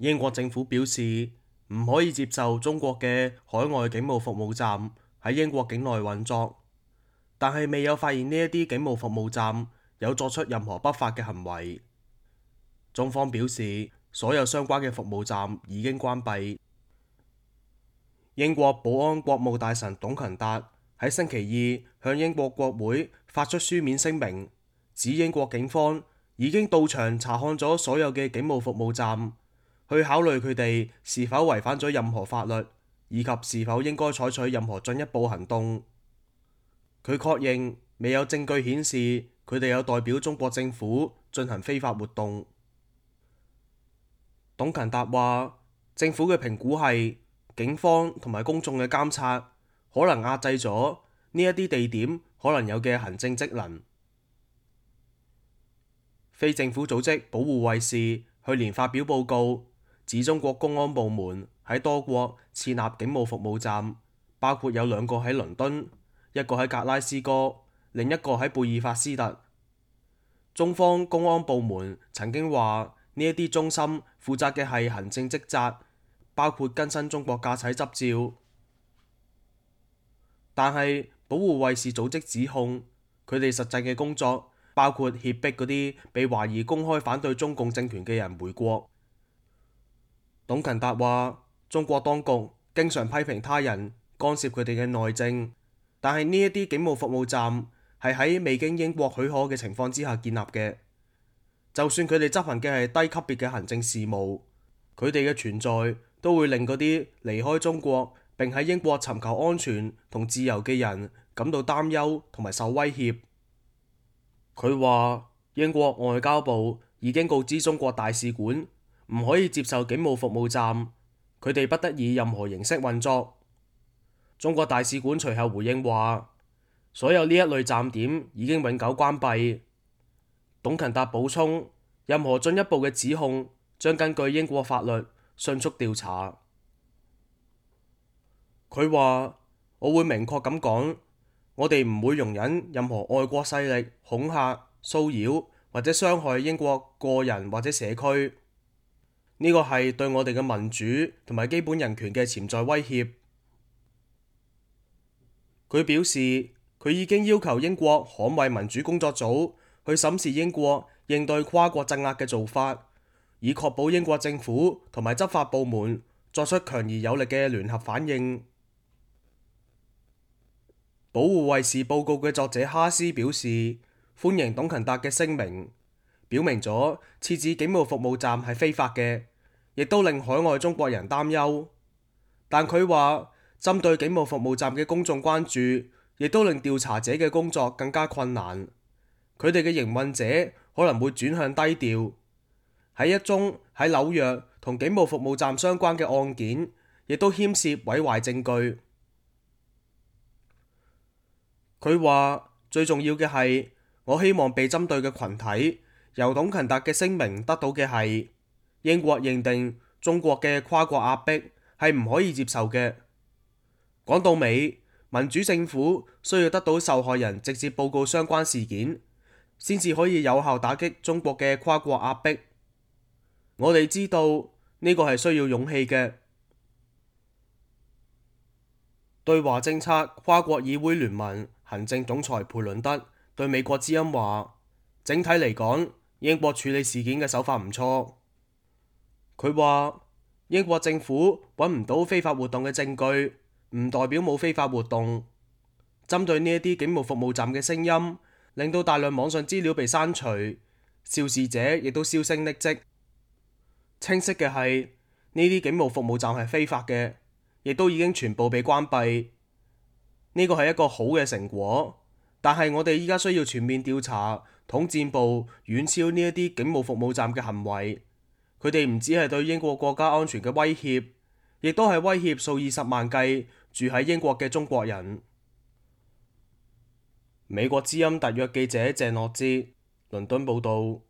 英國政府表示唔可以接受中國嘅海外警務服務站喺英國境內運作，但係未有發現呢一啲警務服務站有作出任何不法嘅行為。中方表示，所有相關嘅服務站已經關閉。英國保安國務大臣董勤達喺星期二向英國國會發出書面聲明，指英國警方已經到場查看咗所有嘅警務服務站，去考慮佢哋是否違反咗任何法律，以及是否應該採取任何進一步行動。佢確認未有證據顯示佢哋有代表中國政府進行非法活動。董勤達話，政府嘅評估係警方同埋公眾嘅監察可能壓制咗呢一啲地點可能有嘅行政職能。非政府組織保護衛士去年發表報告，指中國公安部門喺多國設立警務服務站，包括有2個喺倫敦，一個喺格拉斯哥，另一個喺貝爾法斯特。中方公安部門曾經話，呢一啲中心負責嘅係行政職責，包括更新中國駕駛執照。但係保護衛士組織指控，佢哋實際嘅工作包括脅迫嗰啲被懷疑公開反對中共政權嘅人回國。董勤達話，中國當局經常批評他人干涉佢哋嘅內政，但係呢一啲警務服務站係喺未經英國許可嘅情況之下建立嘅。就算佢哋執行嘅係低級別嘅行政事務，佢哋嘅存在都會令嗰啲離開中國並喺英國尋求安全同自由嘅人感到擔憂同埋受威脅。佢話，英國外交部已經告知中國大使館唔可以接受警務服務站，佢哋不得以任何形式運作。中國大使館隨後回應話，所有呢一類站點已經永久關閉。董勤達補充，任何進一步嘅指控將根據英國法律迅速調查。佢話，我會明確咁講，我哋唔會容忍任何外國勢力恐嚇、騷擾或者傷害英國個人或者社區。呢個係對我哋嘅民主同埋基本人權嘅潛在威脅。佢表示，佢已經要求英國捍衛民主工作組去審視英國應對跨國鎮壓嘅做法，以確保英國政府同埋執法部門作出強而有力嘅聯合反應。保護衛士報告嘅作者哈斯表示，歡迎董勤達嘅聲明，表明咗設置警務服務站係非法嘅，亦都令海外中國人擔憂。但佢話，針對警務服務站嘅公眾關注，亦都令調查者嘅工作更加困難。佢哋嘅營運者可能會轉向低調。喺一宗喺紐約同警務服務站相關嘅案件，亦都牽涉毀壞證據。佢話，最重要嘅係，我希望被針對嘅群體由董勤達嘅聲明得到嘅係，英國認定中國嘅跨國壓迫係唔可以接受嘅。講到尾，民主政府需要得到受害人直接報告相關事件，先至可以有效打擊中國嘅跨國壓迫。我哋知道呢個係需要勇氣嘅。對華政策跨國議會聯盟行政總裁培倫德對美國之音話，整體嚟講，英國處理事件嘅手法唔錯。佢話，英國政府揾唔到非法活動嘅證據，唔代表冇非法活動。針對呢一啲警務服務站嘅聲音，令到大量網上資料被刪除，肇事者亦都銷聲匿跡。清晰嘅係，呢啲警務服務站係非法嘅，亦都已經全部被關閉。呢個係一個好嘅成果，但係我哋依家需要全面調查統戰部遠超呢一啲警務服務站嘅行為。佢哋唔止係對英國國家安全嘅威脅，亦都係威脅數以十萬計住喺英國嘅中國人。美國之音特約記者鄭諾哲，倫敦報導。